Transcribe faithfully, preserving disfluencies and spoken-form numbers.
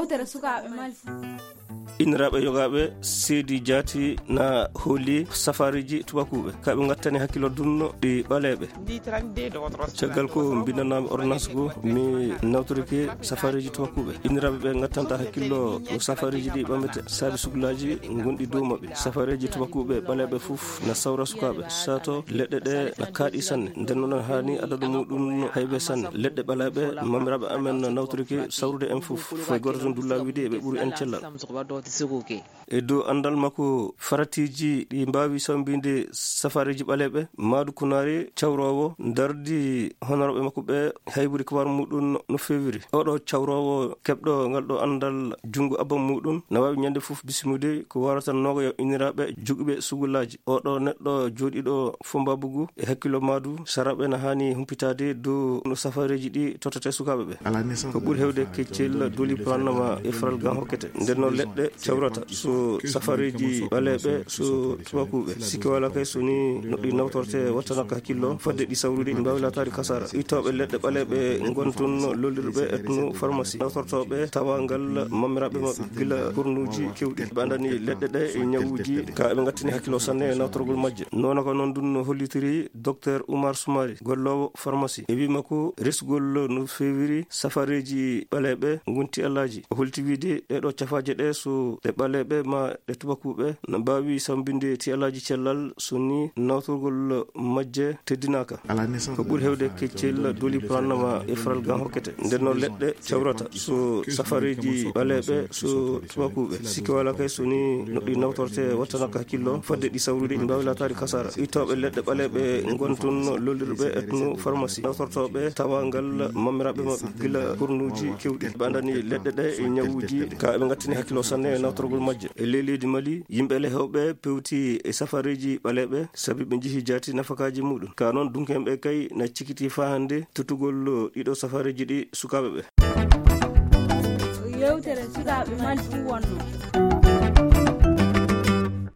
Tere sukaaɓe Mali. Inniraaɓe yogaaɓe seedi jaati na hooli safaariiji tubakuuɓe. Ka ɓe ngattani hakkilo dunno ɗi ɓaleeɓe. Caggal ko mbindanami ordonnance go, mi nawtorike safaariiji tubakuuɓe. Inniraaɓe ɓe ngattanta hakkillo no safaariiji ɗi ɓamete saabi sugulaaji ngonɗi dow maɓɓe. Safaariiji tubakuuɓe ɓaleeɓe fof na sawra sukaaɓe. Sato leɗɗe ɗe na kaaɗi sanne. Nden noon haani adadu muɗum no haybe sanne. Leɗɗe ɓaleeɓe mamiraaɓe amen na nawtorike sawrude en fof. Foy gooto toon dulla wiide ɓe ɓuri en cellal. E dow anndal makko faratiiji ɗi mbaawi sambinde safaariiji ɓaleeɓe, Maadu Kunaari cawroowo dardi honorooɓe makko ɓe hayburi kabar muɗum no feewiri. Oɗo cawroowo keɓɗo ngal ɗo anndal junngo abban muɗum na waawi ñande fof bismude ko warata nooga yo inniraaɓe jogiiɓe sugulaaji. Oɗo neɗɗo jooɗiiɗo Fombabugu e hakkilo Maadu saraaɓe na haani humpitaade dow no safaariiji ɗi tottete sukaaɓe ɓe. Ko ɓuri heewde keccel doli pulannama e faral gan hokkete. Nden noon leɗɗe cawrata so safaariiji ɓaleeɓe so tubakuuɓe. Sikke wala kay so ni no ɗi nawtorte wattanaka hakkillo fadde ɗi sawrude ɗi mbaawi laataade kasara. Ittooɓe leɗɗe ɓaleeɓe ngon toon lollirɓe etno pharmacie. Nawtortooɓe tawangal mamiraaɓe maɓɓe gila kornuuji kewɗi. Ɓe anndani leɗɗe ɗe e ñawuuji ka ɓe ngattini hakkilo sanne e nawtorgol majje. Noona ko noon ɗum no hollitiri Docteur Oumar Soumaré, golloowo pharmacie. E wii makko resgol no feewiri safareeji ɓaleeɓe ngonti alaaji. O holti wiide ɗeɗo cafaaje ɗe so ɗe ɓaleeɓe ma ɗe tubakuuɓe no mbaawi sambinde ti alaaji cellal so ni nawtorgol majje teddinaaka. Ko ɓuri heewde keccel doli pulannama e faral gan hokkete. Nden noon leɗɗe cawrata so safareeji ɓaleeɓe so tubakuuɓe. Sikke wala kay so ni no ɗi nawtorte wattanaka hakkillo fadde ɗi sawrude ɗi mbaawi laataade kasara. Ittooɓe leɗɗe ɓaleeɓe ngon toon lollirɓe etno pharmacie. Nawtortooɓe tawangal mamiraaɓe maɓɓe gila kornuuji kewɗi. Ɓe anndani leɗɗe ɗe e ñawuuji ka ɓe ngattini hakkilo sanne e nawtorgol majje. E ley leydi Mali, yimɓe lehewɓe pewti e safareeji ɓaleeɓe sabi ɓe njihi jaati nafakaaji muɗum. Ka noon dunkeeɓe kay na cikiti faa hannde tottugol ɗiɗo safareeji ɗi sukaaɓe ɓe. Yewtere sukaaɓe Mali ɗum wonno.